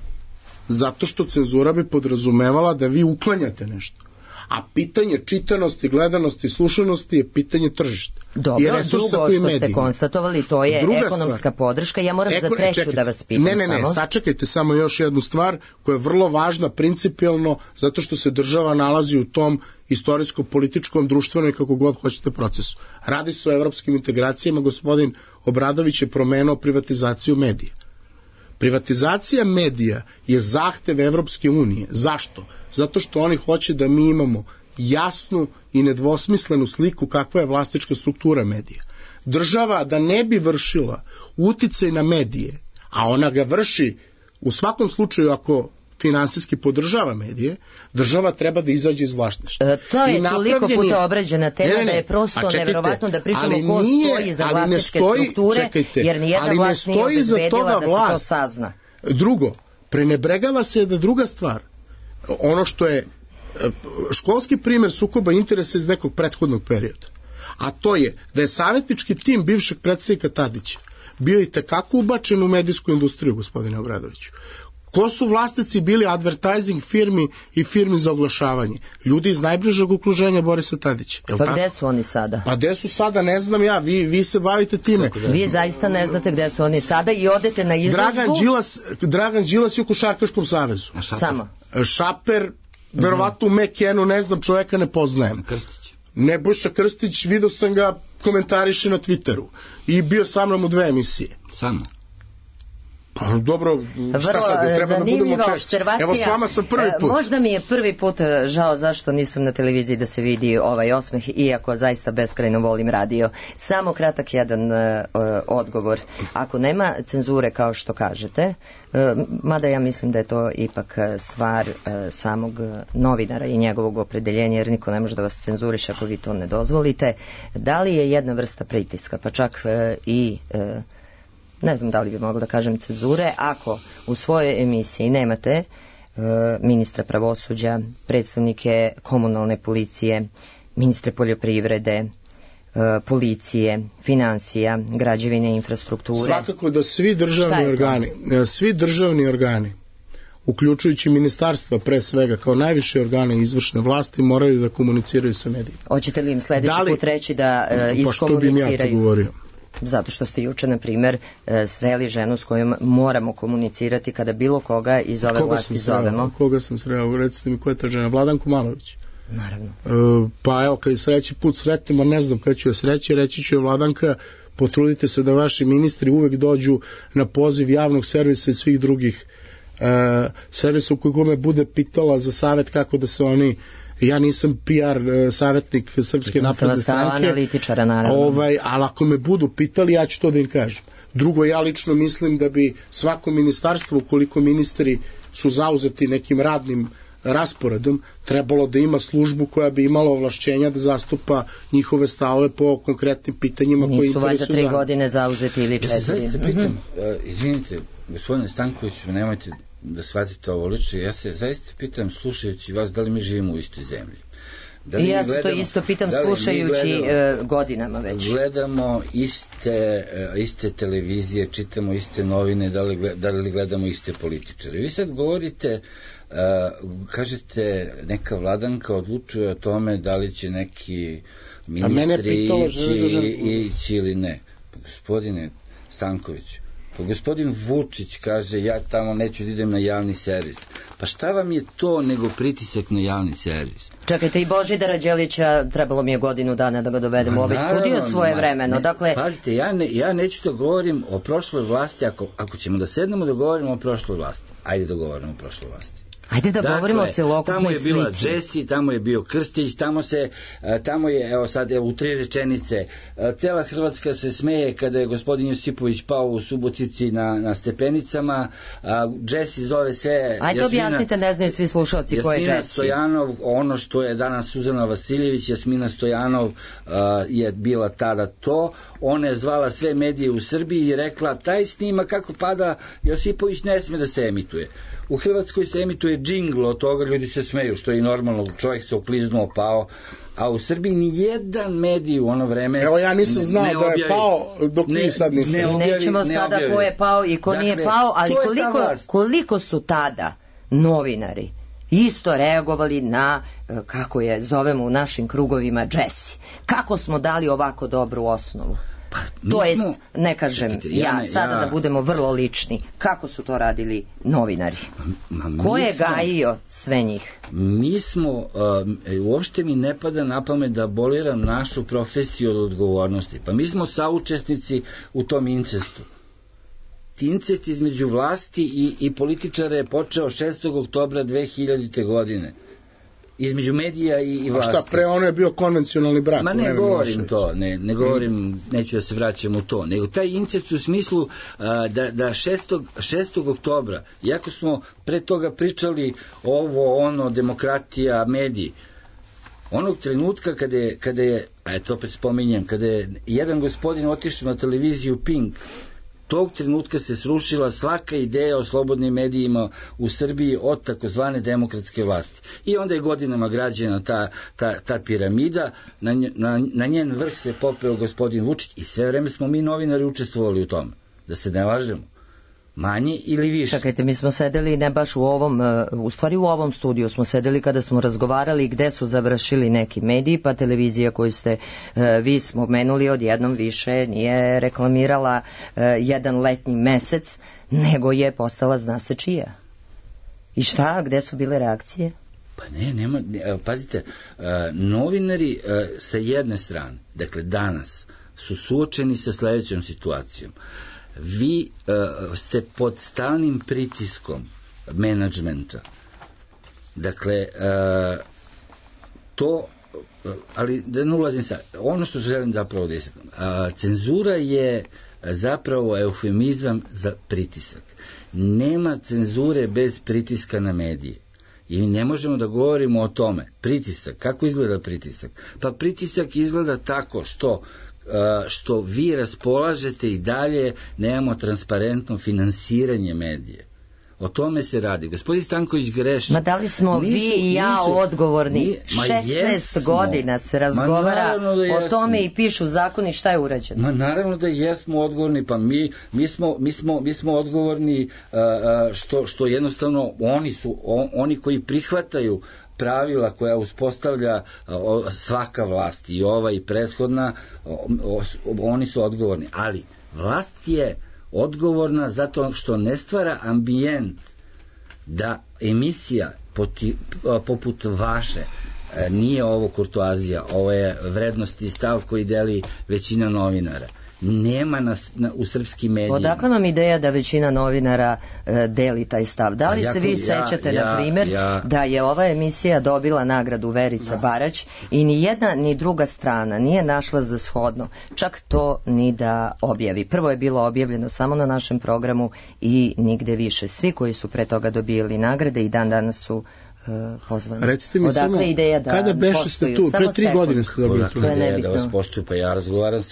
zato što cenzura bi podrazumevala da vi uklanjate nešto. A pitanje čitanosti, gledanosti, slušanosti je pitanje tržišta. Dobro, drugo što ste konstatovali, to je druga ekonomska stvar. Podrška. Ja moram za treću da vas pitam. Ne, sačekajte samo još jednu stvar koja je vrlo važna principijelno, zato što se država nalazi u tom istorijsko-političkom, društvenom i kako god hoćete procesu. Radi se o evropskim integracijama, gospodin Obradović je promenio privatizaciju medija. Privatizacija medija je zahtev Evropske unije. Zašto? Zato što oni hoće da mi imamo jasnu i nedvosmislenu sliku kakva je vlasnička struktura medija. Država da ne bi vršila uticaj na medije, a ona ga vrši u svakom slučaju ako finansijski podržava medije, država treba da izađe iz vlasništva. To je toliko puta obrađena tema da je prosto neverovatno da pričamo ko stoji za vlasničke strukture, jer nijedna vlast nije obezbedila da se to sazna. Drugo, prenebregava se da druga stvar, ono što je školski primer sukoba interesa iz nekog prethodnog perioda, a to je da je savjetnički tim bivšeg predsjednika Tadića bio i tekako ubačen u medijsku industriju, gospodine Obradoviću. Ko su vlasnici bili advertising firmi i firmi za oglašavanje? Ljudi iz najbližeg okruženja Borisa Tadića. Pa gde su oni sada? Pa gde su sada, ne znam ja, vi se bavite time. Vi zaista ne znate gde su oni sada i odete na izložbu. Dragan Đilas je u Košarkaškom savezu. Samo. Šaper, verovatno u Mekenu, ne znam, čoveka ne poznajem. Krstić. Nebojša Krstić, vidio sam ga komentariše na Twitteru i bio sa mnom u 2 emisije. Samo. Pa dobro, šta sad, treba da budemo češći. Evo s vama sam prvi put. Možda mi je prvi put žao zašto nisam na televiziji da se vidi ovaj osmeh, iako zaista beskrajno volim radio. Samo kratak jedan odgovor. Ako nema cenzure kao što kažete, mada ja mislim da je to ipak stvar samog novinara i njegovog opredeljenja, jer niko ne može da vas cenzuriše ako vi to ne dozvolite, da li je jedna vrsta pritiska, pa čak i ne znam da li bi mogla da kažem cenzure, ako u svojoj emisiji nemate ministra pravosuđa, predstavnike komunalne policije, ministre poljoprivrede, policije, finansija, građevine, infrastrukture. Svakako da svi državni organi, uključujući ministarstva pre svega kao najviše organe izvršne vlasti, moraju da komuniciraju sa medijima. Hoćete li im sledeći put reći da iskomuniciraju? Pa što bih ja to govorio? Zato što ste juče, na primjer, sreli ženu s kojom moramo komunicirati kada bilo koga iz ove vlasti zovemo. Koga sam sreo? Recite mi, ko je ta žena? Vladanku Malović. Naravno. Pa evo, kad sledeći put sretimo, ne znam kada ću je sreći, reći ću je Vladanka, potrudite se da vaši ministri uvek dođu na poziv javnog servisa i svih drugih servisa u kojeg me bude pitala za savjet kako da se oni. Ja nisam PR savjetnik Srpske napredne stranke, analitičara, naravno. Ali ako me budu pitali, ja ću to da im kažem. Drugo, ja lično mislim da bi svako ministarstvo, ukoliko ministri su zauzeti nekim radnim rasporedom, trebalo da ima službu koja bi imala ovlašćenja da zastupa njihove stavove po konkretnim pitanjima koji interesuju zajednicu. Nisu valjda 3 godine zauzeti ili 4. Ja se zaista pitam, izvinite, gospodine Stankoviću, nemojte da shvatite ovo lično, ja se zaista pitam, slušajući vas, da li mi živimo u istoj zemlji. I ja se to isto pitam, slušajući godinama već. Gledamo iste televizije, čitamo iste novine, da li gledamo iste političare. Vi sad govorite, kažete, neka vladanka odlučuje o tome da li će neki ministri ići ili ne. Gospodine Stankoviću, pa gospodin Vučić kaže, ja tamo neću da idem na javni servis. Pa šta vam je to nego pritisak na javni servis? Čekajte, i Božidara Đelića trebalo mi je godinu dana da ga dovedemo u ovaj studio svoje vremeno. Dakle, pazite, ja neću da govorim o prošloj vlasti, ako ćemo da sednemo da govorimo o prošloj vlasti. Ajde da govorimo o prošloj vlasti. Ajde da govorimo o celokupnoj slici. Tamo je bila Jesi, tamo je bio Krstić, tamo je, evo sad, u 3 rečenice, cela Hrvatska se smeje kada je gospodin Josipović pao u Subotici na stepenicama, Jesi zove se... Ajde objasnite, ne znaju svi slušalci ko je Jesi. Jasmina Stojanov, ono što je danas Suzana Vasiljević, Jasmina Stojanov je bila tada to, ona je zvala sve medije u Srbiji i rekla, taj snima kako pada Josipović ne sme da se emituje. U Hrvatskoj se emituje džingl od toga, ljudi se smeju, što je i normalno, čovjek se okliznuo, pao, a u Srbiji ni jedan medij u ono vreme... Evo, ja nisam znao da je pao, dok vi sad niste. Nećemo sada ko je pao i ko nije pao, ali koliko su tada novinari isto reagovali na, kako je zovemo u našim krugovima, Jesi. Kako smo dali ovako dobru osnovu? To jest, ne kažem sada da budemo vrlo lični, kako su to radili novinari? Ko je gajio sve njih? Mi smo, uopšte mi ne pada na pamet da aboliram našu profesiju od odgovornosti. Pa mi smo saučesnici u tom incestu. Incest između vlasti i političara je počeo 6. oktobra 2000. godine. Između medija i vlasti. A šta, pre ono je bio konvencionalni brak? Ma ne govorim to, ne govorim, neću da se vraćam u to, nego taj incest u smislu da 6. oktobra, iako smo pre toga pričali demokratija, mediji, onog trenutka kada je, to opet spominjem, kada je jedan gospodin otišao na televiziju Pink, tog trenutka se srušila svaka ideja o slobodnim medijima u Srbiji od takozvane demokratske vlasti. I onda je godinama građena ta piramida, na njen vrh se popeo gospodin Vučić i sve vreme smo mi novinari učestvovali u tome. Da se ne lažemo. Manje ili više. Čekajte, mi smo sedeli ne baš u ovom, u stvari u ovom studiju smo sedeli kada smo razgovarali gde su završili neki mediji, pa televizija koju ste vi spomenuli odjednom više nije reklamirala jedan letnji mesec, nego je postala zna se čija. I šta, gde su bile reakcije? Pa nema, pazite, novinari sa jedne strane, dakle danas, su suočeni sa sledećom situacijom. Vi ste pod stalnim pritiskom menadžmenta. Dakle, to, ali da ne ulazim sad, ono što želim zapravo da istaknem, cenzura je zapravo eufemizam za pritisak. Nema cenzure bez pritiska na medije. I ne možemo da govorimo o tome. Pritisak, kako izgleda pritisak? Pa pritisak izgleda tako što vi raspolažete i dalje nemamo transparentno finansiranje medije. O tome se radi. Gospodin Stanković greši. Ma da li smo vi i ja odgovorni? 16 godina se razgovara o tome i pišu zakoni, šta je urađeno? Ma naravno da jesmo odgovorni, pa mi smo odgovorni što jednostavno oni koji prihvataju pravila koja uspostavlja svaka vlast, i ova i prethodna, oni su odgovorni. Ali vlast je odgovorna zato što ne stvara ambijent da emisija poput vaše, nije ovo kurtoazija, ovo je vrednost i stav koji deli većina novinara, nema u srpskim medijima. Odakle vam ideja da većina novinara deli taj stav? Da li se vi sećate, na primjer, da je ova emisija dobila nagradu Verica Barać i ni jedna ni druga strana nije našla za shodno čak to ni da objavi. Prvo je bilo objavljeno samo na našem programu i nigde više. Svi koji su pre toga dobijali nagrade i dan danas su pozvani. Recite mi samo, kada beše ste tu? Pre 3 godine ste dobili tu. Ideja da vas poštuju, pa ja razgovaram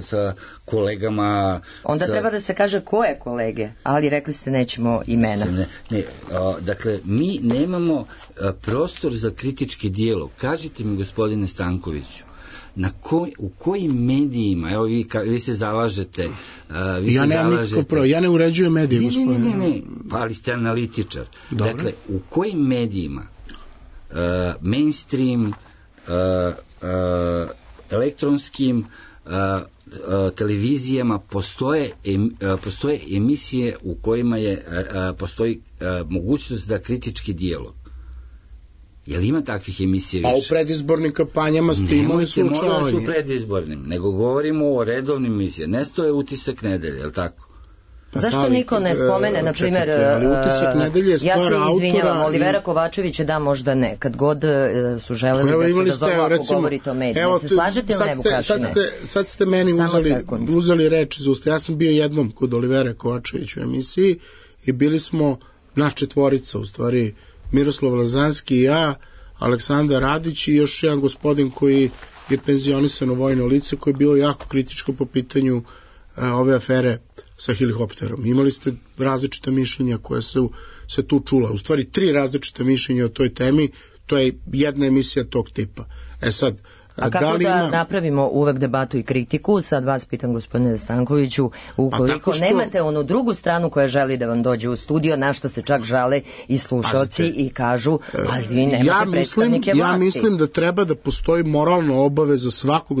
sa kolegama. Onda treba da se kaže ko je kolege, ali rekli ste nećemo imena. Dakle, mi nemamo prostor za kritički dijalog. Kažite mi, gospodine Stankoviću, u kojim medijima, evo vi se zalažete, ja ne uređujem medije, gospodine. Ne, pa ali ste analitičar. Dakle, u kojim medijima mainstream, elektronskim televizijama postoje emisije u kojima postoji mogućnost da kritički dijalog? Jel ima takvih emisija više? Pa u predizbornim kampanjama ste imali slučajanje. Nemojte molim vas u predizbornim, nego govorimo o redovnim emisijama. Nesto je utisak nedelje, je li tako? Zašto niko ne spomene, na primjer, ja se izvinjavam, Olivera Kovačević da, možda ne, kad god su želeli da se dozovu ako govorite o medijima. Se slažete ili ne, Vukašine? Sad ste meni uzeli reč iz usta. Ja sam bio jednom kod Olivere Kovačević u emisiji i bili smo naš četvorica, u stvari Miroslav Lazanski i ja, Aleksandar Radić i još jedan gospodin koji je penzionisan u vojno lice, koji je bilo jako kritičko po pitanju ove afere sa helikopterom. Imali ste različita mišljenja koja su se tu čula. U stvari 3 različita mišljenja o toj temi, to je jedna emisija tog tipa. Sad, a kako da napravimo uvek debatu i kritiku? Sad vas pitam, gospodine Stankoviću, ukoliko nemate onu drugu stranu koja želi da vam dođe u studio, na što se čak žale i slušalci i kažu, ali vi nemate predstavnike vlasti. Ja mislim da treba da postoji moralna obaveza svakog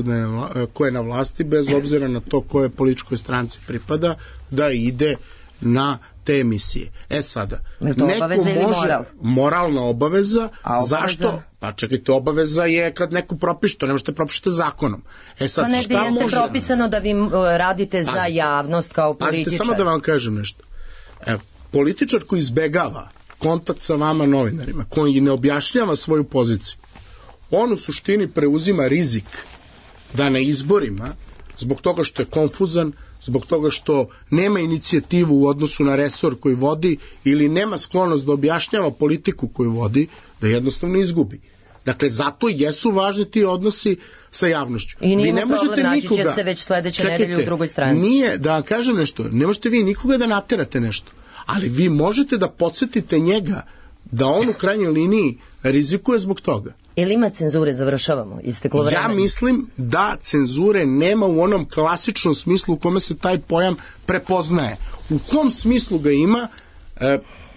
ko je na vlasti, bez obzira na to koje političkoj stranci pripada, da ide na te emisije. Sada, neko može, moralna obaveza, zašto? Pa čekajte, obaveza je kad neko propiše, to ne možete propišete zakonom. Sad, pa negdje jeste propisano da vi radite za javnost kao političar. Pazite, samo da vam kažem nešto. Političar koji izbegava kontakt sa vama novinarima, koji ne objašnjava svoju poziciju, on u suštini preuzima rizik da na izborima, zbog toga što je konfuzan, zbog toga što nema inicijativu u odnosu na resor koji vodi ili nema sklonost da objašnjava politiku koju vodi, da jednostavno izgubi. Dakle, zato jesu važni ti odnosi sa javnošću. I nije problem, naći će se već sledeće nedelje u drugoj stranci. Nije, da vam kažem nešto, ne možete vi nikoga da naterate nešto, ali vi možete da podsjetite njega da on u krajnjoj liniji rizikuje zbog toga. Ili ima cenzure, završavamo, isteklo vreme? Ja mislim da cenzure nema u onom klasičnom smislu u kome se taj pojam prepoznaje. U kom smislu ga ima,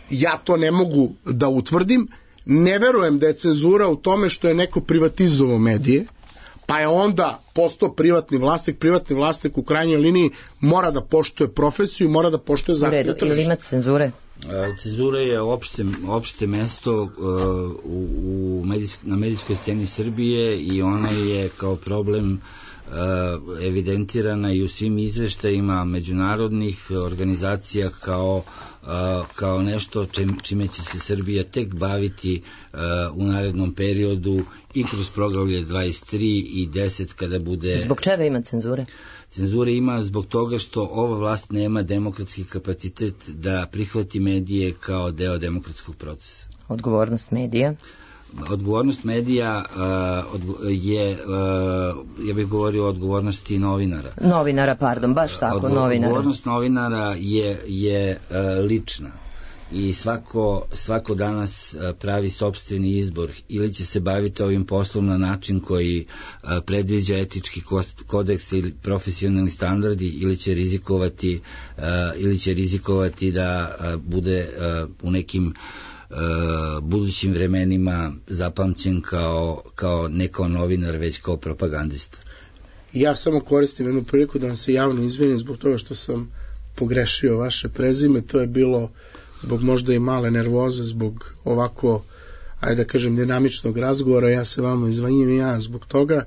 ja to ne mogu da utvrdim. Ne verujem da je cenzura u tome što je neko privatizovao medije, pa je onda postao privatni vlasnik u krajnjoj liniji mora da poštuje profesiju, mora da poštuje zahteve tržišta. Ili ima cenzure? Cenzura je opšte mesto na medijskoj sceni Srbije i ona je kao problem evidentirana i u svim izveštajima međunarodnih organizacija kao nešto čime će se Srbija tek baviti u narednom periodu i kroz poglavlje 23 i 10 kada bude... Zbog čega ima cenzure? Cenzure ima zbog toga što ova vlast nema demokratski kapacitet da prihvati medije kao deo demokratskog procesa. Odgovornost medija? Odgovornost medija je, ja bih govorio o odgovornosti novinara. Novinara, pardon, baš tako, novinara. Odgovornost novinara je lična i svako danas pravi sopstveni izbor, ili će se baviti ovim poslom na način koji predviđa etički kodeks ili profesionalni standardi, ili će rizikovati da bude u nekim budućim vremenima zapamćen kao ne kao novinar, već kao propagandista. Ja samo koristim jednu priliku da vam se javno izvinim zbog toga što sam pogrešio vaše prezime. To je bilo zbog možda i male nervoze, zbog ovako, ajde da kažem, dinamičnog razgovora. Ja se vama izvinjam i ja zbog toga.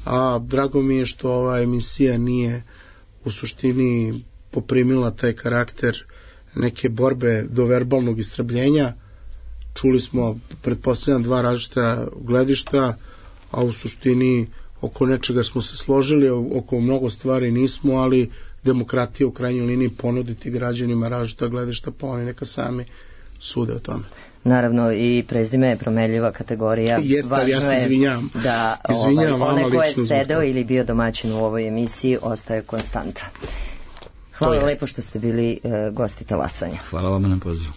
a drago mi je što ova emisija nije u suštini poprimila taj karakter neke borbe do verbalnog istrebljenja. Čuli smo, pretpostavljam, dva različita gledišta, a u suštini oko nečega smo se složili, oko mnogo stvari nismo, ali demokratija u krajnjoj liniji ponuditi građanima različita gledišta, pa oni neka sami sude o tome. Naravno, i prezime je promenljiva kategorija. Jeste, ali ja se izvinjam. Da onaj ko je sedeo ili bio domaćin u ovoj emisiji ostaje konstanta. Hvala lepo što ste bili gosti Talasanja. Hvala vam na pozivu.